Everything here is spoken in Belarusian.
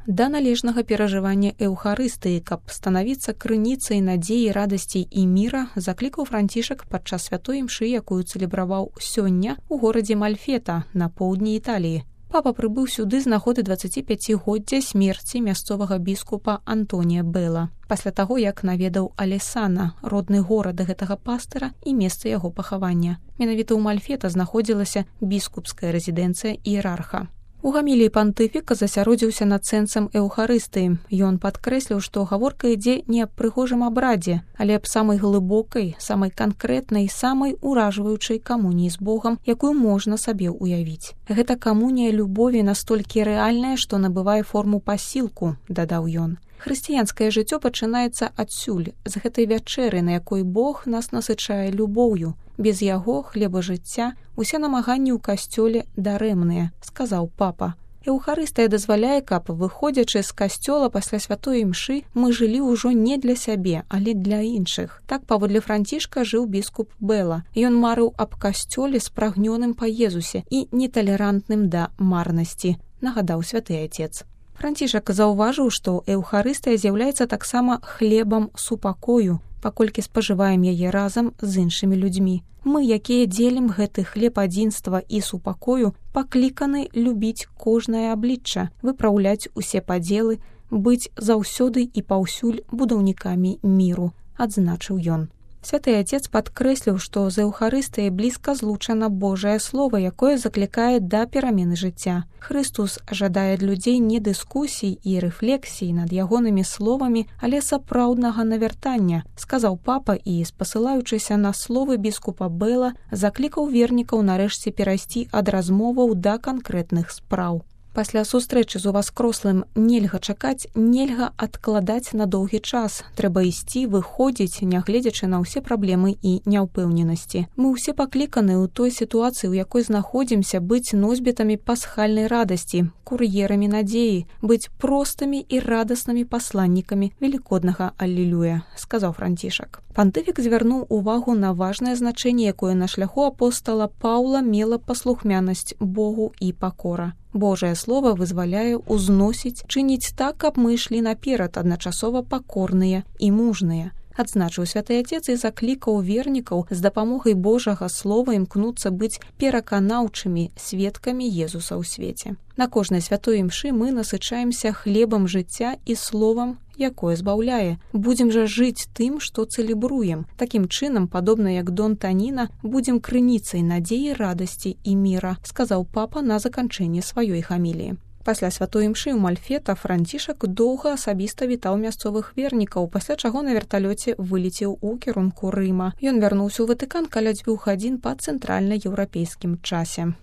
да належнага перажывання эўхарыстыі, каб станавіцца крыніцай надзеі, радасці і міра, заклікаў Францішак падчас святой імшы, якую цэлебраваў сёння ў горадзе Мальфета на поўдні Італіі. Папа прыбыў сюды з нагоды 25-годдзя смерці мясцовага біскупа Антонія Бэла, пасля таго, як наведаў Алесана, родны горад гэтага пастыра і месца яго пахавання. Менавіта ў Мальфета знаходзілася біскупская рэзідэнцыя іерарха. У гаміліі пантыфік засяродзіўся над сэнсам эўхарыстыі. Ён падкрэсліў, што гаворка ідзе не аб прыгожым абрадзе, але аб самай глыбокай, самай канкрэтнай, самай уражваючай камуніі з Богам, якую можна сабе ўявіць. Гэта камунія любові настолькі рэальная, што набывае форму пасілку, дадаў ён. Хрысціянскае жыццё пачынаецца адсюль, з гэтай вячэры, на якой Бог нас насычае любоўю. Без яго, хлеба жыцця, усе намаганні ў касцёле дарэмныя, сказаў папа. Эўхарыстыя дазваляе, каб, выходзячы з касцёла пасля святой імшы, мы жылі ўжо не для сябе, але для іншых. Так, паводле Францішка, жыў біскуп Бэла. Ён марыў аб касцёле спрагнёным па Езусе і неталерантным да марнасці, нагадаў святы Отец. Францішак заўважыў, што эўхарыстыя з'яўляецца таксама хлебам супакою, паколькі спажываем яе разам з іншымі людзьмі. Мы, якія дзелім гэты хлеб адзінства і супакою, пакліканы любіць кожнае аблічча, выпраўляць усе падзелы, быць заўсёды і паўсюль будаўнікамі міру, адзначыў ён. Святы Отец падкрэсліў, што з эўхарыстыяй блізка злучана Божае Слова, якое заклікае да перамены жыцця. Хрыстус жадае ад людзей не дыскусій і рэфлексій над ягонымі словамі, але сапраўднага навяртання, сказаў папа і, спасылаючыся на словы біскупа Бэла, заклікаў вернікаў нарэшце перайсці ад размоваў да канкрэтных спраў. Пасля сустрэчы з уваскрослым нельга чакаць, нельга адкладаць на доўгі час. Трэба ісці, выходзіць, нягледзячы на ўсе праблемы і няўпэўненасці. Мы ўсе пакліканы ў той сітуацыі, у якой знаходзімся, быць носьбітамі пасхальнай радасці, кур'ерамі надзеі, быць простымі і радаснымі пасланнікамі велікоднага Аллілуя, сказаў Францішак. Пантыфік звярнуў увагу на важнае значэнне, якое на шляху апостала Паўла мела паслухмянасць Богу і пакора. Божае Слова вызваляе, узносіць, чыніць так, каб мы ішлі наперад, адначасова пакорныя і мужныя. Адзначыў святы Отец і заклікаў вернікаў з дапамогай Божага Слова імкнуцца быць пераканаўчымі сведкамі Езуса ў свеце. На кожнай святой імшы мы насычаемся хлебам жыцця і словам, якое збаўляе. Будзем жа жыць тым, што цэлебруем. Такім чынам, падобна як Дон Таніна, будзем крыніцай надзеі, радасці і міра, сказаў папа на заканчэнне сваёй гаміліі. Пасля святой імшы ў Мальфета Францішак доўга асабіста вітаў мясцовых вернікаў, пасля чаго на верталёце вылецеў у кірунку Рыма. Ён вярнуўся ў Ватыкан каля 2 гадзін па цэнтральнаеўрапейскім часе.